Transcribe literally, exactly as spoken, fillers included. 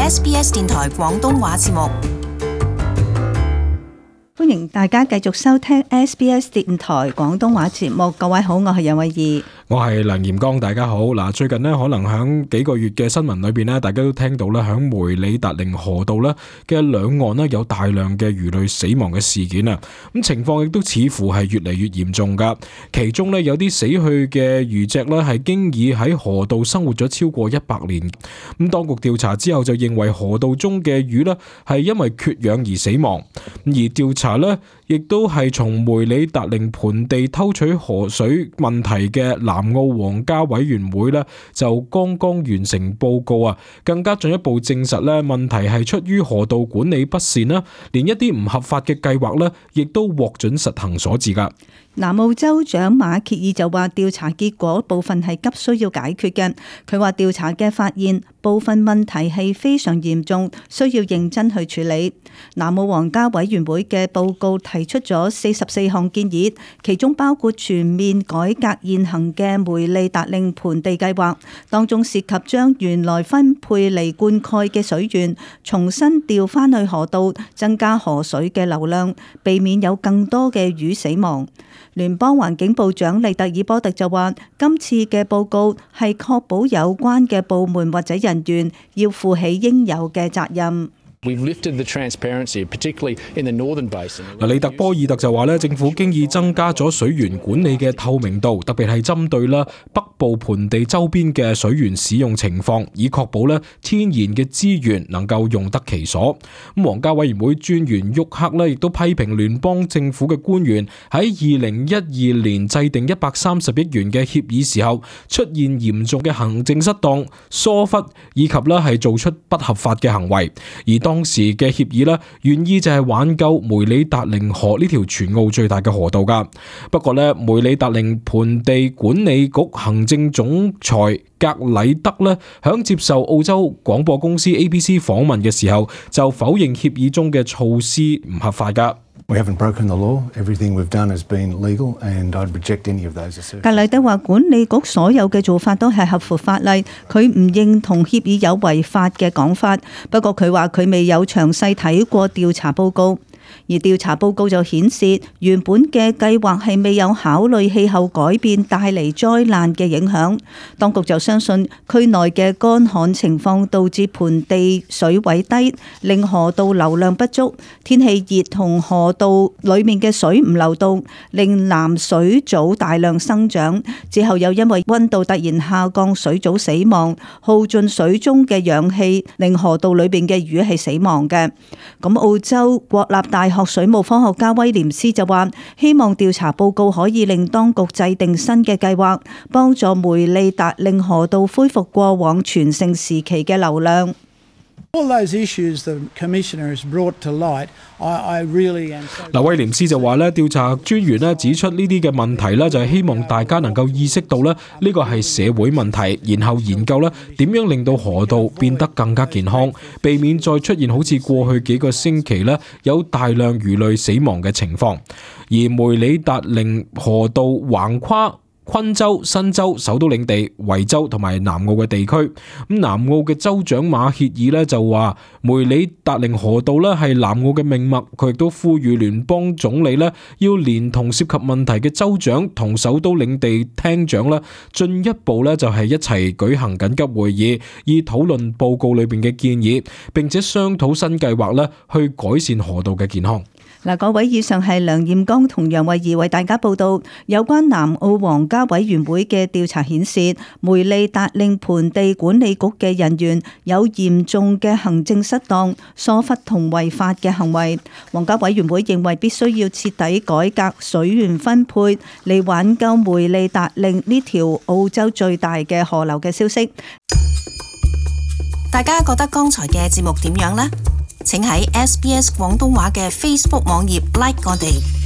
S B S 電台廣東話節目。歡迎大家繼續收聽 S B S 電台廣東話節目。各位好，我係楊慧儀，我係梁炎剛。大家好。嗱，最近呢，可能響幾個月嘅新聞裏邊呢，大家都聽到咧，響梅里達令河道咧嘅兩岸呢，有大量嘅魚類死亡嘅事件啊。咁情況亦都似乎係越嚟越嚴重噶。其中呢，有啲死去嘅魚隻呢，係經已喺河道生活咗超過一百年。咁當局調查之後就認為河道中嘅魚呢，係因為缺氧而死亡。而調查咧，亦都係從梅里達令盆地偷取河水問題嘅南澳皇家委員會咧，就剛剛完成報告啊，更加進一步證實咧，問題係出於河道管理不善啦，連一啲唔合法嘅計劃咧，亦都獲准實行所致噶。南澳州長馬歇爾就話調查結果部分係急需要解決嘅。佢話調查嘅發現部分問題係非常嚴重，需要認真去處理。南澳皇家委員會嘅報告提出咗四十四項建議，其中包括全面改革現行嘅梅里達令盆地計劃，當中涉及將原來分配嚟灌溉嘅水源重新調返去河道，增加河水嘅流量，避免有更多嘅魚死亡。聯邦環境部長利特爾波特就話，今次嘅報告係確保有關嘅部門或者人員要負起應有嘅責任。利特波爾特就話咧，政府經已增加咗水源管理嘅透明度，特別係針對啦北部盆地周邊嘅水源使用情況，以確保咧天然嘅資源能夠用得其所。咁皇家委員會專員沃克咧，亦都批評聯邦政府嘅官員喺二零一二年制定一百三十億元嘅協議時候，出現嚴重嘅行政失當、疏忽以及咧係做出不合法嘅行為。而當時嘅協議咧，原意就係挽救梅里達令河呢條全澳最大嘅河道噶。不過咧，梅里達令盆地管理局行政總裁格禮德咧，響接受澳洲廣播公司 A B C 訪問嘅時候，就否認協議中嘅措施唔合法噶。We haven't broken the law. Everything we've done has been legal, and I'd reject any of those assertions. 格禮德話管理局所有嘅做法都係合乎法例，佢唔認同協議有違法嘅講法。不過佢話佢未有詳細睇過調查報告。而調查報告就顯示，原本嘅計劃係未有考慮氣候改變帶嚟災難嘅影響。當局就相信區內嘅乾旱情況導致盆地水位低，令河道流量不足。天氣熱同河道裡面嘅水唔流動，令藍水藻大量生長。之後又因為溫度突然下降，水藻死亡，耗盡水中嘅氧氣，令河道裏邊嘅魚係死亡嘅。咁澳洲國立大學水務科學家威廉斯就話，希望調查報告可以令當局制定新嘅計劃，幫助梅里達令河道恢復過往全盛時期嘅流量。嗱，威廉斯就話咧，調查專員咧指出呢啲嘅問題咧，就係希望大家能夠意識到咧呢個係社會問題，然後研究咧點樣令到河道變得更加健康，避免再出現好似過去幾個星期咧有大量魚類死亡嘅情況。而梅里達令河道橫跨昆州、新州、首都領地、維州同埋南澳嘅地區。咁南澳嘅州長馬歇爾咧就話，梅里達令河道咧係南澳嘅命脈。佢亦都呼籲聯邦總理咧要連同涉及問題嘅州長同首都領地廳長咧，進一步咧就係一齊舉行緊急會議，以討論報告裏邊嘅建議，並且商討新計劃咧去改善河道嘅健康。嗱，各位，以上係梁艷剛同楊慧儀為大家報道有關南澳皇家委員會嘅調查顯示，梅里達令盆地管理局嘅人員有嚴重嘅行政失當、疏忽同違法嘅行為。皇家委員會認為必須要徹底改革水源分配，嚟挽救梅里達令呢條澳洲最大嘅河流嘅消息。大家覺得剛才嘅節目點樣呢？請喺 S B S 廣東話嘅 Facebook 網頁 like 我哋。